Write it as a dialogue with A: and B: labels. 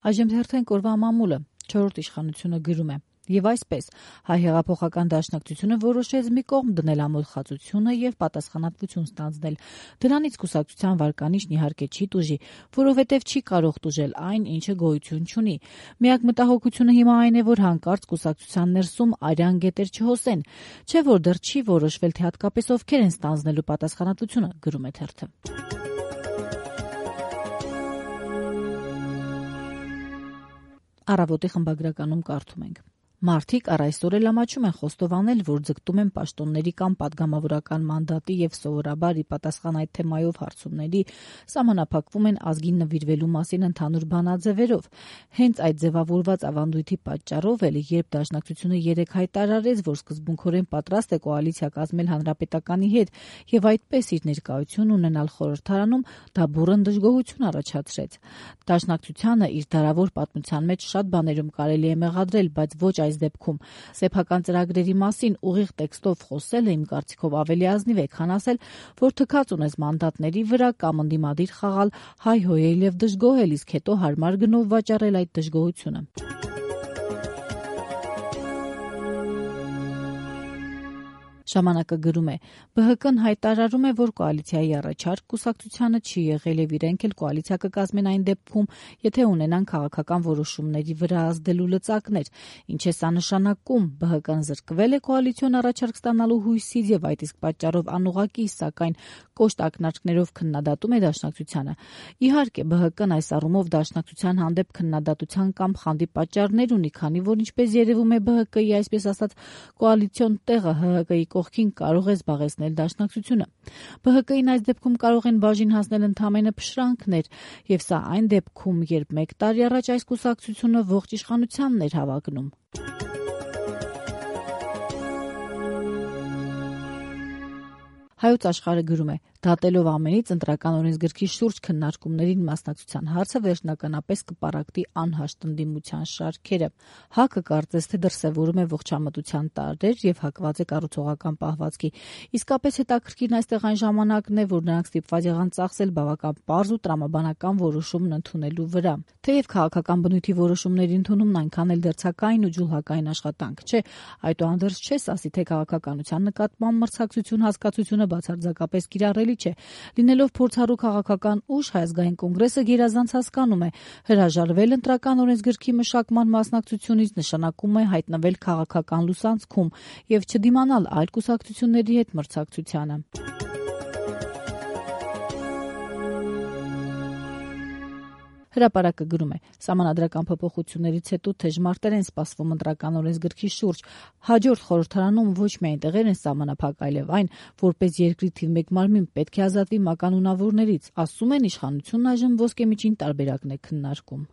A: Այժմ հերթենք օրվա մամուլը, 4-րդ իշխանությունը գրում է. Եվ այսպես, հայ հեղափոխական դաշնակցությունը որոշեց մի կողմ դնել ամոթխածությունը եւ պատասխանատվություն ստանձնել։ Դրանից կուսակցության վարկանիշն իհարկե չի տուժի, որովհետեւ չի կարող տուժել այն, ինչը գոյություն չունի։ Միակ մտահոգությունը հիմա այն է, որ հանկարծ կուսակցության ներսում արյան գետեր չհոսեն, չէ՞ որ դեռ չի որոշվել, թե հատկապես ովքեր են ստանձնելու պատասխանատվությունը, գրում է թերթը։ Առավոտի խմբագրականում կարդում ենք. Մարդիկ առ այսօր էլ ամաչում են խոստովանել, որ ձգտում են պաշտոնների կամ պատգամավորական մանդատի եւ սովորաբար ի պատասխան այդ թեմայով հարցումների սահմանափակվում են ազգին նվիրվելու մասին ընդհանուր բանաձևերով։ Հենց այդ ձևավորված ավանդույթի պատճառով էլ, երբ Դաշնակցությունը երեկ հայտարարեց, որ սկզբունքորեն պատրաստ է կոալիցիա կազմել Հանրապետականի հետ եւ այդպես իր ներկայություն ունենալ խորհրդարանում, դա բուռն դժգոհություն առաջացրեց։ Դաշնակցությանը իր դարավոր պատմության մեջ շատ բաներում կարելի է մեղադրել, բայց ոչ այս դեպքում սեփական ծրագրերի մասին ուղիղ տեքստով խոսելը իմ կարծիքով ավելի ազնիվ է, քան ասել, որ թքած ունես մանդատների վրա կամ ընդդիմադիր խաղալ, հայհոյել եւ դժգոհել, իսկ հետո հարմար գնով վաճառել այդ դժգոհությունը։ Ժամանակը գրում է. ԲՀԿ-ն հայտարարում է, որ կոալիցիայի առաջարկ կուսակցությանը չի եղել եւ իրենք էլ կոալիցիա կկազմեն այն դեպքում, եթե ունենան քաղաքական որոշումների վրա ազդելու լծակներ։ Ինչ է սա նշանակում։ ԲՀԿ-ն զրկվել է կոալիցիոն առաջարկ ստանալու հույսից եւ այդ իսկ պատճառով անուղղակի, սակայն կոշտ ակնարկներով քննադատում է Դաշնակցությանը։ Իհարկե, ԲՀԿ-ն այս առումով Դաշնակցության հանդեպ քննադատության կամ խանդի պատճառներ ունի, քանի որ ինչպես երևում է ԲՀԿ-ի այսպես ասած կոալիցիոն տեղը ՀՀԿ-ի կողքին կարող է զբաղեցնել Դաշնակցությունը։ ԲՀԿ-ին այս դեպքում կարող են բաժին հասնել ընդամենը փշրանքներ, եւ սա այն դեպքում, երբ 1 տարի առաջ այս կուսակցությունը ողջ իշխանությանն էր հավակնում։ Հայոց աշխարհը գրում է. դատելով ամենից ընտրական օրենսգրքի շուրջ քննարկումներին մասնակցության հարցը վերջնականապես կպարակտի անհաշտ ընդդիմության շարքերը։ ՀԱԿ-ը կարծես թե դրսևորում է ողջամտության տարրեր եւ հակված է կառուցողական պահվածքի։ Իսկապես հետաքրքիրն այստեղ այն ժամանակն է, որ նրանք ստիպված եղան ծախսել բավական պարզ ու տրամաբանական որոշումն ընդունելու վրա։ Թեև քաղաքական բնույթի որոշումների ընդունումն այնքան էլ դերձակային ու ջուլհակային աշխատանք չէ, այդուհանդերձ չես ասի, թե քաղաքականության նկատմամբ մրցակցություն հասկացությունը բացարձակապես կիրառելի չէ։ Լինելով փորձառու քաղաքական ուժ, Հայ ազգային կոնգրեսը գերազանց հասկանում է, հրաժարվել ընտրական օրենսգրքի մշակման մասնակցությունից նշանակում է հայտնվել քաղաքական լուսանցքում եւ չդիմանալ այլ կուսակցությունների հետ մրցակցությանը։ Հրապարակը գրում է. Սահմանադրական փոփոխություններից հետո թեժ մարտեր են սպասվում ընտրական օրենսգրքի շուրջ։ Հաջորդ խորհրդարանում ոչ միայն տեղեր են սահմանափակ, այլև այն, որպես երկրի թիվ 1 մարմին պետք է ազատվի մականունավորներից, ասում են իշխանությունն այժմ ոսկեմիջին տարբերակն է քննարկում։